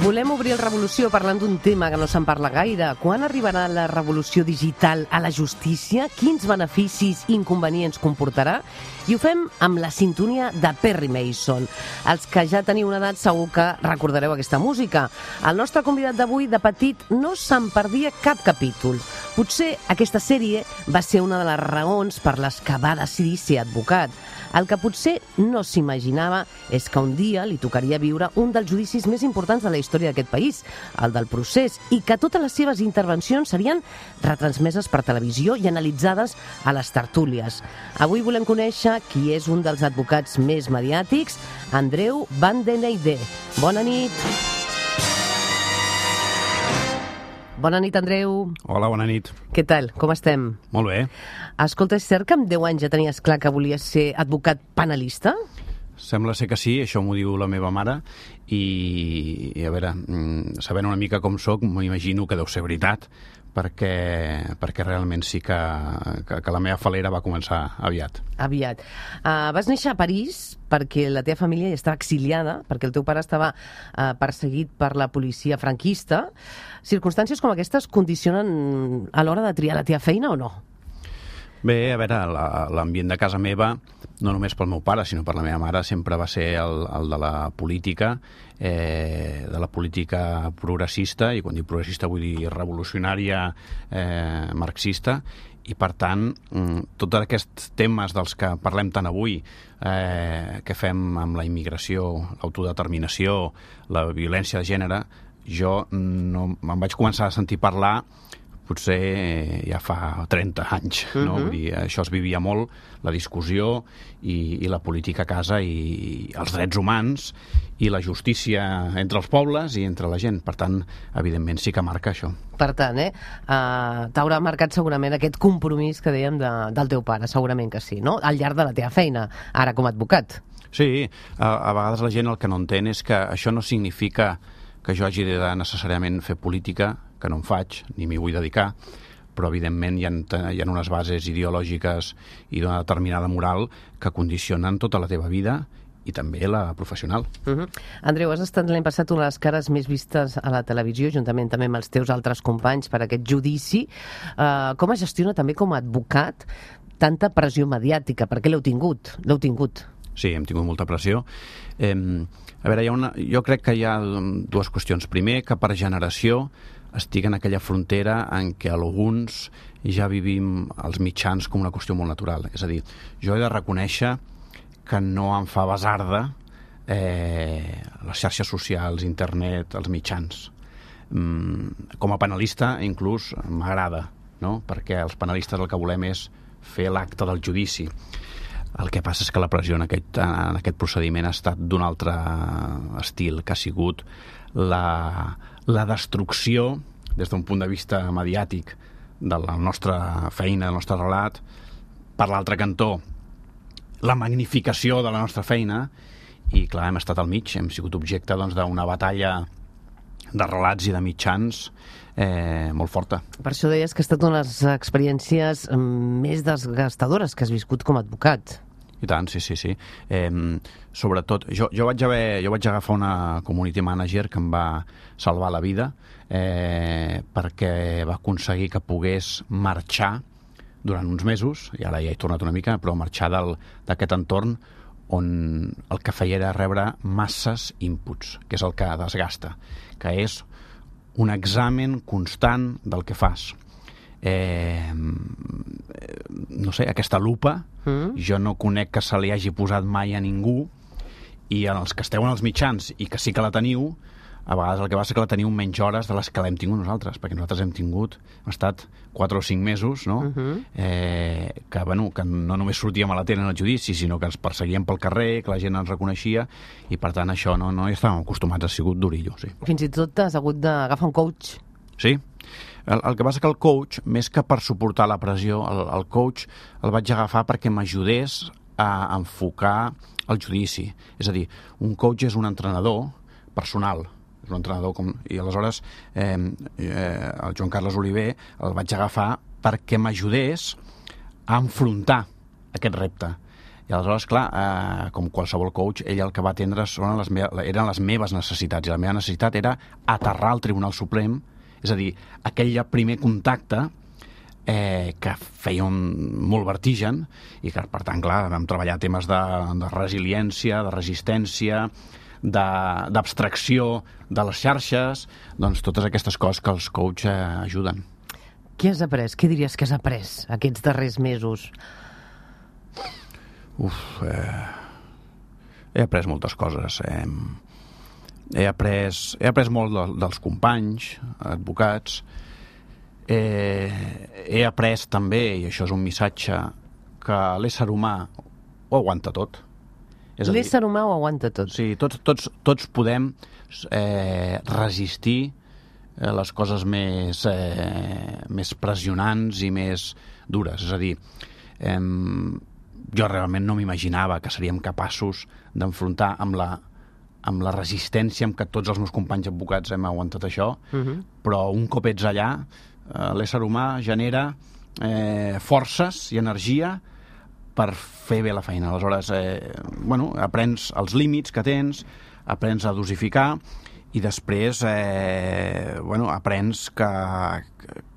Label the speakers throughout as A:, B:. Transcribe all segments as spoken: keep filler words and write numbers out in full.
A: Volem obrir el Revolució parlant d'un tema que no se'n parla gaire. Quan arribarà la revolució digital a la justícia? Quins beneficis i inconvenients comportarà? I ho fem amb la sintonia de Perry Mason. Els que ja teniu una edat segur que recordareu aquesta música. El nostre convidat d'avui, de petit, no se'n perdia cap capítol. Potser aquesta sèrie va ser una de les raons per les que va decidir ser advocat. El que potser no s'imaginava és que un dia li tocaria viure un dels judicis més importants de la història d'aquest país, el del procés, i que totes les seves intervencions serien retransmeses per televisió i analitzades a les tertúlies. Avui volem conèixer qui és un dels advocats més mediàtics, Andreu van den Eijden. Bona nit. Bona nit, Andreu.
B: Hola, bona nit.
A: Què tal? Com estem?
B: Molt bé.
A: Escolta, és cert que amb deu anys ja tenies clar que volies ser advocat penalista?
B: Sembla ser que sí, això m'ho diu la meva mare, i, i a veure, sabent una mica com soc, m'imagino que deu ser veritat, perquè, perquè realment sí que, que, que la meva falera va començar aviat.
A: Aviat. Uh, vas néixer a París perquè la teva família ja estava exiliada, perquè el teu pare estava uh, perseguit per la policia franquista. Circumstàncies com aquestes condicionen a l'hora de triar la teva feina o no?
B: Bé, a veure, l'ambient de casa meva, no només pel meu pare, sinó per la meva mare, sempre va ser el, el de la política, eh, de la política progressista, i quan dic progressista vull dir revolucionària, eh, marxista, i per tant, tots aquests temes dels que parlem tant avui, eh, que fem amb la immigració, l'autodeterminació, la violència de gènere, jo no me'n vaig començar a sentir parlar potser ja fa trenta anys, no? Uh-huh. Vull dir, això es vivia molt, la discussió i, i la política a casa, i els drets humans i la justícia entre els pobles i entre la gent. Per tant, evidentment, sí que marca això.
A: Per tant, eh, uh, t'haurà marcat segurament aquest compromís que dèiem de, del teu pare, segurament que sí, no? Al llarg de la teva feina, ara com a advocat.
B: Sí, a, a vegades la gent el que no entén és que això no significa que jo hagi de necessàriament fer política, que no en faig, ni m'hi vull dedicar, però evidentment hi ha, hi ha unes bases ideològiques i d'una determinada moral que condicionen tota la teva vida i també la professional.
A: Uh-huh. Andreu, has estat l'any passat una de les cares més vistes a la televisió, juntament també amb els teus altres companys per aquest judici. Uh, com es gestiona també com a advocat tanta pressió mediàtica? Per què l'heu tingut? L'heu tingut?
B: Sí, hem tingut molta pressió. Eh, a veure, hi ha una, jo crec que hi ha dues qüestions. Primer, que per generació estic en aquella frontera en què alguns ja vivim els mitjans com una qüestió molt natural. És a dir, jo he de reconèixer que no em fa basarda eh, les xarxes socials, internet, els mitjans. Mm, com a penalista, inclús, m'agrada, no? Perquè els penalistes el que volem és fer l'acte del judici. El que passa és que la pressió en aquest, en aquest procediment ha estat d'un altre estil, que ha sigut la, la destrucció, des d'un punt de vista mediàtic, de la nostra feina, del nostre relat, per l'altre cantó, la magnificació de la nostra feina, i clar, hem estat al mig, hem sigut objecte doncs, d'una batalla de relats i de mitjans eh, molt forta.
A: Per això deies que ha estat una de les experiències més desgastadores que has viscut com a advocat.
B: I tant, sí, sí, sí. Eh, sobretot, jo, jo, vaig haver, jo vaig agafar una community manager que em va salvar la vida eh, perquè va aconseguir que pogués marxar durant uns mesos, i ara ja he tornat una mica, però marxar d'aquest entorn on el que feia era rebre masses inputs, que és el que desgasta, que és un examen constant del que fas. Eh, no sé, aquesta lupa mm. jo no conec que se li hagi posat mai a ningú, i en els que esteu en els mitjans i que sí que la teniu, a vegades el que passa és que la teniu menys hores de les que l'hem tingut nosaltres, perquè nosaltres hem tingut, hem estat quatre o cinc mesos, no? Uh-huh. eh, que, bueno, que no només sortíem a la tele en el judici, sinó que ens perseguíem pel carrer, que la gent ens reconeixia, i per tant això no, no hi estàvem acostumats, ha sigut durillo, sí.
A: Fins i tot has hagut d'agafar un coach.
B: Sí. El, el que passa que el coach, més que per suportar la pressió, el, el coach el vaig agafar perquè m'ajudés a enfocar el judici. És a dir, un coach és un entrenador personal, és un entrenador com... I aleshores eh, eh, el Joan Carles Oliver el vaig agafar perquè m'ajudés a enfrontar aquest repte. I aleshores, clar, eh, com qualsevol coach, ell el que va atendre són les me eren les meves necessitats, i la meva necessitat era aterrar al Tribunal Suprem, és a dir, aquell primer contacte eh, que feia un, molt vertigen, i que, per tant, clar, vam treballar temes de, de resiliència, de resistència, d'abstracció de, de les xarxes, doncs totes aquestes coses que els coach eh, ajuden.
A: Què has après? Què diries que has après aquests darrers mesos?
B: Uf, eh, he après moltes coses. Eh, he, après, he après molt de, dels companys, advocats. Eh, he après també, i això és un missatge, que l'ésser humà ho aguanta tot.
A: L'ésser humà ho aguanta tot.
B: Sí, tots, tots, tots podem eh, resistir les coses més, eh, més pressionants i més dures. És a dir, eh, jo realment no m'imaginava que seríem capaços d'enfrontar amb la, amb la resistència amb què tots els meus companys advocats hem aguantat això, uh-huh. Però un cop ets allà, eh, l'ésser humà genera eh, forces i energia per fer bé la feina. Aleshores, eh, bueno, aprens els límits que tens, aprens a dosificar, i després eh, bueno, aprens que,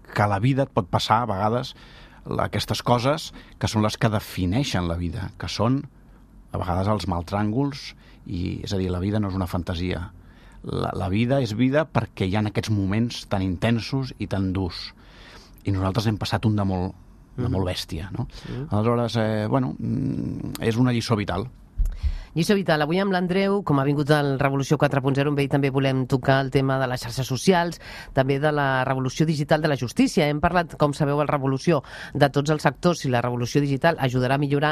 B: que a la vida et pot passar a vegades aquestes coses que són les que defineixen la vida, que són a vegades els maltràngols, i, és a dir, la vida no és una fantasia. La, la vida és vida perquè hi ha aquests moments tan intensos i tan durs. I nosaltres hem passat un de molt, de molt bèstia, no? Mm. Aleshores, eh, bueno, és una lliçó vital.
A: Lliçó vital. Avui amb l'Andreu, com ha vingut el Revolució quatre punt zero, amb ell també volem tocar el tema de les xarxes socials, també de la revolució digital de la justícia. Hem parlat, com sabeu, el Revolució de tots els sectors, si la revolució digital ajudarà a millorar,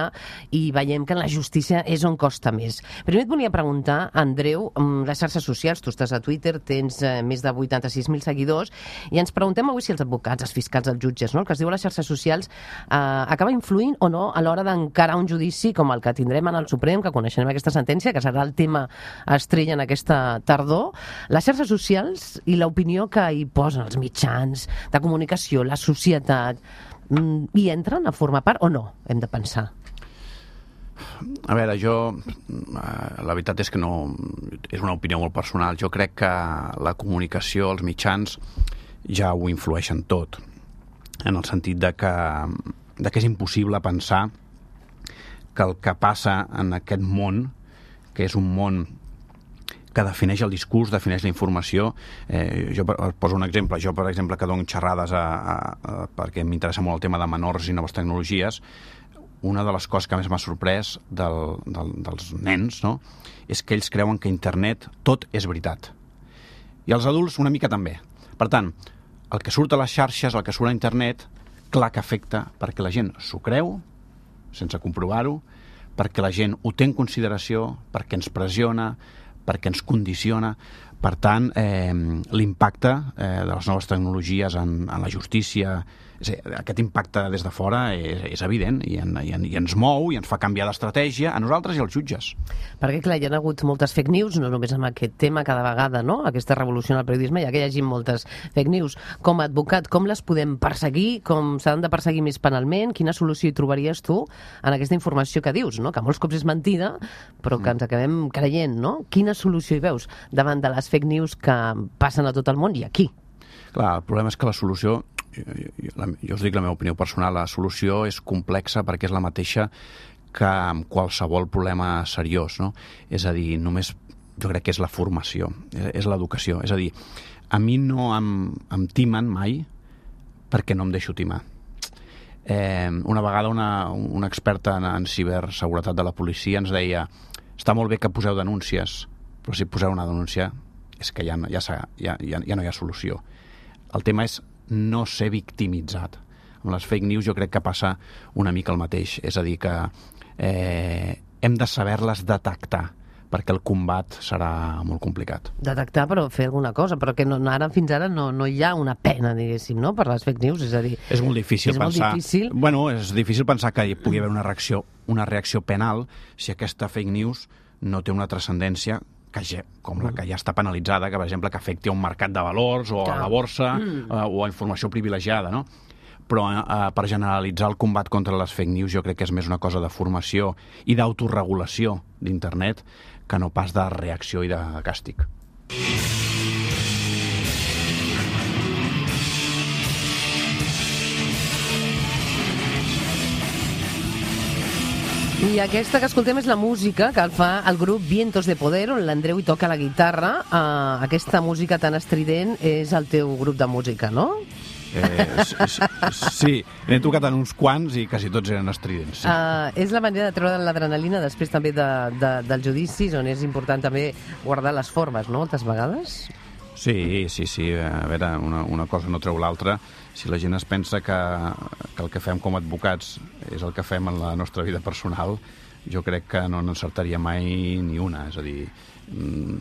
A: i veiem que en la justícia és on costa més. Primer et volia preguntar, Andreu, les xarxes socials, tu estàs a Twitter, tens eh, més de vuitanta-sis mil seguidors, i ens preguntem avui si els advocats, els fiscals, els jutges, no? El que es diu a les xarxes socials, eh, acaba influint o no a l'hora d'encarar un judici com el que tindrem en el Suprem, que coneixem aquesta sentència, que serà el tema estrella en aquesta tardor. Les xarxes socials i l'opinió que hi posen els mitjans de comunicació, la societat, hi entren a formar part o no? Hem de pensar.
B: A veure, jo... La veritat és que no... És una opinió molt personal. Jo crec que la comunicació, els mitjans, ja ho influeixen tot. En el sentit de que, de que és impossible pensar que el que passa en aquest món, que és un món que defineix el discurs, defineix la informació. Eh, jo poso un exemple. Jo, per exemple, que dono xerrades a, a, a, perquè m'interessa molt el tema de menors i noves tecnologies, una de les coses que més m'ha sorprès del, del, dels nens, no?, és que ells creuen que internet tot és veritat. I els adults una mica també. Per tant, el que surt a les xarxes, el que surt a internet, clar que afecta, perquè la gent s'ho creu, sense comprovar-ho, perquè la gent ho té en consideració, perquè ens pressiona, perquè ens condiciona. Per tant, eh, l'impacte eh, de les noves tecnologies en, en la justícia, és a dir, aquest impacte des de fora és, és evident i, en, i, en, i ens mou i ens fa canviar d'estratègia a nosaltres i als jutges.
A: Perquè, clar, hi ha hagut moltes fake news, no només amb aquest tema cada vegada, no?, aquesta revolució en el periodisme, ja que hi hagi moltes fake news. Com a advocat, com les podem perseguir? Com s'han de perseguir més penalment? Quina solució hi trobaries tu en aquesta informació que dius, no?, que molts cops és mentida, però que ens acabem creient, no? Quina solució hi veus davant de les fake news que passen a tot el món i aquí?
B: Clar, el problema és que la solució, jo, jo, jo us dic la meva opinió personal, la solució és complexa perquè és la mateixa que amb qualsevol problema seriós, no? És a dir, només jo crec que és la formació, és l'educació. És a dir, a mi no em, em timen mai perquè no em deixo timar. Eh, una vegada una, una experta en, en ciberseguretat de la policia ens deia: està molt bé que poseu denúncies, però si poseu una denúncia és que ja, ja, ja, ja, ja no hi ha solució. El tema és no ser victimitzat. Amb les fake news jo crec que passa una mica el mateix. És a dir, que eh, hem de saber-les detectar, perquè el combat serà molt complicat.
A: Detectar, però fer alguna cosa, però que no, ara fins ara no, no hi ha una pena, diguéssim, no?, per les fake news. És a dir,
B: és molt difícil
A: és
B: pensar...
A: Molt difícil.
B: Bueno, és difícil pensar que hi pugui haver una reacció, una reacció penal si aquesta fake news no té una transcendència que ja, com la que ja està penalitzada, que, per exemple, que afecti a un mercat de valors o a la borsa mm. o a informació privilegiada, no? però eh, per generalitzar el combat contra les fake news jo crec que és més una cosa de formació i d'autoregulació d'internet que no pas de reacció i de càstig.
A: I aquesta que escoltem és la música que el fa el grup Vientos de Poder, on l'Andreu hi toca la guitarra. Uh, aquesta música tan estrident és el teu grup de música, no?
B: Eh, sí, n'he tocat en uns quants i quasi tots eren estridents. Sí.
A: Uh, és la manera de treure l'adrenalina després també de, de, dels judicis, on és important també guardar les formes, no?, moltes vegades?
B: Sí, sí, sí. A veure, una, una cosa no treu l'altra. Si la gent es pensa que, que el que fem com a advocats és el que fem en la nostra vida personal, jo crec que no n'encertaria mai ni una. És a dir,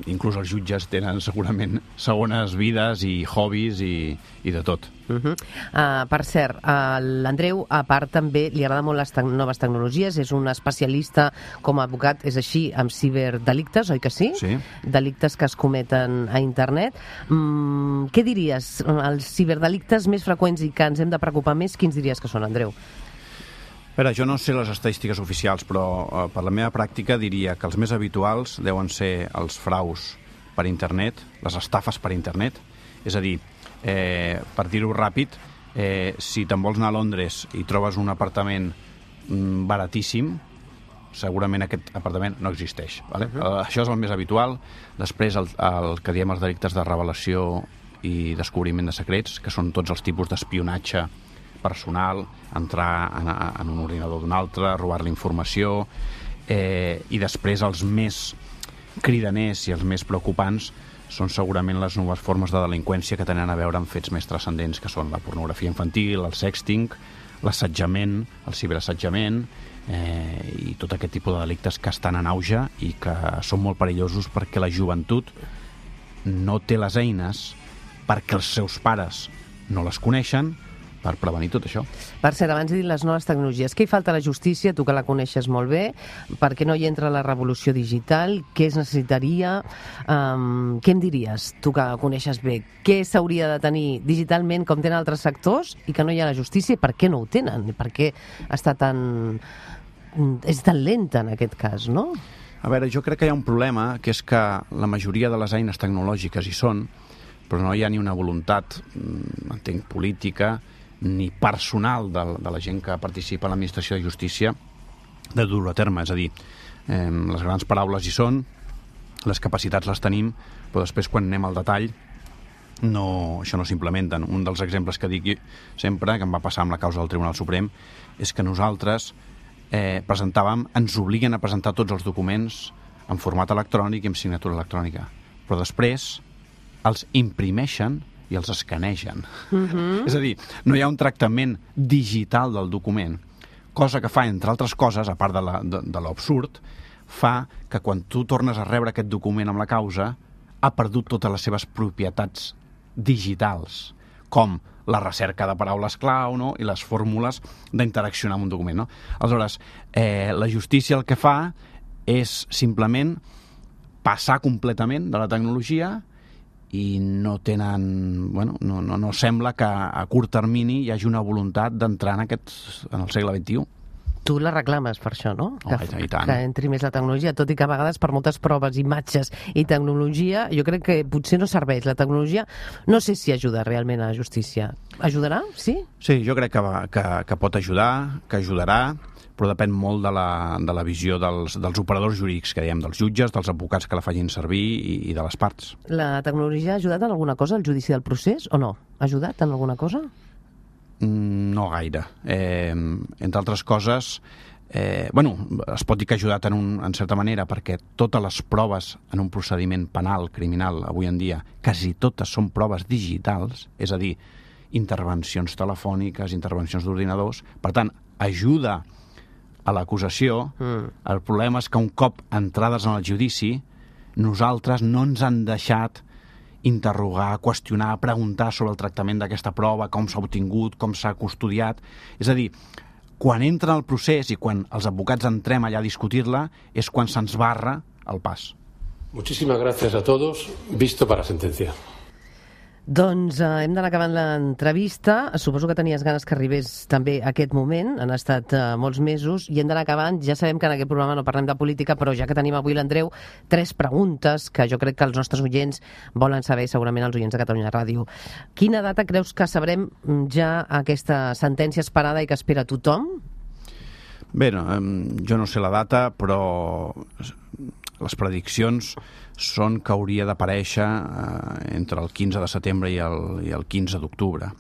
B: inclús els jutges tenen segurament segones vides i hobbies i, i de tot.
A: Uh-huh. Uh, per cert, uh, l'Andreu, a part, també li agrada molt les te- noves tecnologies, és un especialista com a advocat, és així, amb ciberdelictes, oi que sí?
B: Sí.
A: Delictes que es cometen a internet. Mm, què diries? Els ciberdelictes més freqüents i que ens hem de preocupar més, quins diries que són, Andreu?
B: A veure, jo no sé les estadístiques oficials, però eh, per la meva pràctica diria que els més habituals deuen ser els fraus per internet, les estafes per internet. És a dir, eh, per dir-ho ràpid, eh, si te'n vols anar a Londres i trobes un apartament mm, baratíssim, segurament aquest apartament no existeix. Vale? Uh-huh. eh, això és el més habitual. Després el, el que diem els delictes de revelació i descobriment de secrets, que són tots els tipus d'espionatge personal, entrar en, en un ordinador d'un altre, robar-li informació, eh, i després els més cridaners i els més preocupants són segurament les noves formes de delinqüència que tenen a veure amb fets més transcendents, que són la pornografia infantil, el sexting, l'assetjament, el ciberassetjament, eh, i tot aquest tipus de delictes que estan en auge i que són molt perillosos perquè la joventut no té les eines perquè els seus pares no les coneixen per prevenir tot això.
A: Per cert, abans de dir les noves tecnologies, què hi falta a la justícia, tu que la coneixes molt bé, per què no hi entra la revolució digital, què es necessitaria, um, què em diries, tu que la coneixes bé, què s'hauria de tenir digitalment com tenen altres sectors i que no hi ha a la justícia i per què no ho tenen, i per què està tan... és tan lenta en aquest cas, no?
B: A veure, jo crec que hi ha un problema, que és que la majoria de les eines tecnològiques hi són, però no hi ha ni una voluntat, entenc, política, ni personal de, de la gent que participa a l'administració de justícia de dur-ho a terme. És a dir, eh, les grans paraules hi són, les capacitats les tenim, però després quan anem al detall no, això no s'implementen. Un dels exemples que dic sempre, que em va passar amb la causa del Tribunal Suprem, és que nosaltres eh, presentàvem, ens obliguen a presentar tots els documents en format electrònic i amb signatura electrònica, però després els imprimeixen i els escanegen. Uh-huh. És a dir, no hi ha un tractament digital del document, cosa que fa, entre altres coses, a part de, la, de, de l'absurd, fa que quan tu tornes a rebre aquest document amb la causa, ha perdut totes les seves propietats digitals, com la recerca de paraules clau, no?, i les fórmules d'interaccionar amb un document, no? Aleshores, eh, la justícia el que fa és simplement passar completament de la tecnologia i no tenen, bueno, no, no, no sembla que a curt termini hi hagi una voluntat d'entrar en, aquest, en el segle venti-u.
A: Tu la reclames per això, no?
B: Oh,
A: que,
B: i tant.
A: que entri més la tecnologia, tot i que a vegades per moltes proves, imatges i tecnologia, jo crec que potser no serveix. La tecnologia no sé si ajuda realment a la justícia. Ajudarà? Sí? Sí,
B: jo crec que, va, que, que pot ajudar, que ajudarà, però depèn molt de la, de la visió dels, dels operadors jurídics, que diem, dels jutges, dels advocats que la facin servir i, i de les parts.
A: La tecnologia ha ajudat en alguna cosa al judici del procés o no? Ha ajudat en alguna cosa?
B: Mm, no gaire. Eh, entre altres coses, eh, bueno, es pot dir que ha ajudat en, un, en certa manera, perquè totes les proves en un procediment penal, criminal, avui en dia, quasi totes són proves digitals, és a dir, intervencions telefòniques, intervencions d'ordinadors, per tant, ajuda a l'acusació. Mm. El problema és que un cop entrades en el judici, nosaltres no ens han deixat interrogar, qüestionar, preguntar sobre el tractament d'aquesta prova, com s'ha obtingut, com s'ha custodiat. És a dir, quan entra el procés i quan els advocats entrem allà a discutir-la, és quan se'ns barra el pas.
C: Muchísimas gracias a todos. Visto para sentencia.
A: Doncs eh, hem d'anar acabant l'entrevista. Suposo que tenies ganes que arribés també aquest moment. Han estat eh, molts mesos i hem d'anar acabant. Ja sabem que en aquest programa no parlem de política, però ja que tenim avui l'Andreu, tres preguntes que jo crec que els nostres oients volen saber, segurament els oients de Catalunya Ràdio. Quina data creus que sabrem ja aquesta sentència esperada i que espera tothom?
B: Bé, no, jo no sé la data, però les prediccions són que hauria d'aparèixer eh, entre el quinze de setembre i el, i el quinze d'octubre.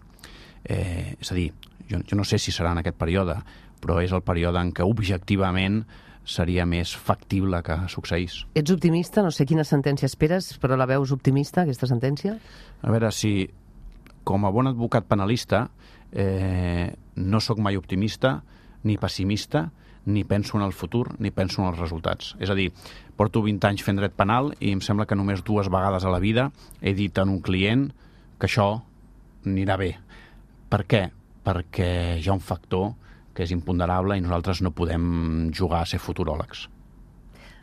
B: Eh, és a dir, jo, jo no sé si serà en aquest període, però és el període en què objectivament seria més factible que succeís.
A: Ets optimista? No sé quina sentència esperes, però la veus optimista, aquesta sentència?
B: A veure, si com a bon advocat penalista eh, no sóc mai optimista ni pessimista, ni penso en el futur, ni penso en els resultats. És a dir, porto vint anys fent dret penal i em sembla que només dues vegades a la vida he dit a un client que això anirà bé. Per què? Perquè hi ha un factor que és imponderable i nosaltres no podem jugar a ser futuròlegs.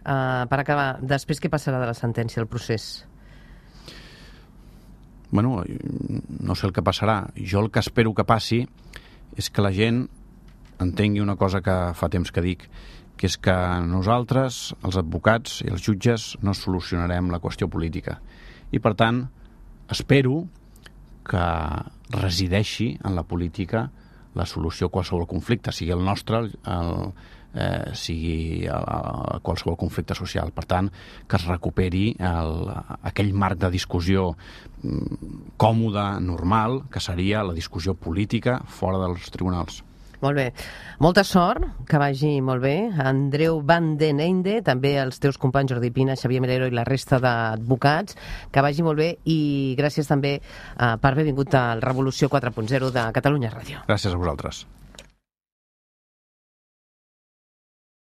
A: Uh, per acabar, després què passarà de la sentència, el procés?
B: Bueno, no sé el que passarà. Jo el que espero que passi és que la gent entengui una cosa que fa temps que dic, que és que nosaltres, els advocats i els jutges, no solucionarem la qüestió política. I, per tant, espero que resideixi en la política la solució a qualsevol conflicte, sigui el nostre, el, eh, sigui el, el, qualsevol conflicte social. Per tant, que es recuperi el, aquell marc de discussió còmode, normal, que seria la discussió política fora dels tribunals.
A: Molt bé. Molta sort, que vagi molt bé. Andreu Van den Einde, també els teus companys Jordi Pina, Xavier Melero i la resta d'advocats, que vagi molt bé i gràcies també eh, per haver vingut al Revolució quatre punt zero de Catalunya Ràdio.
B: Gràcies a vosaltres.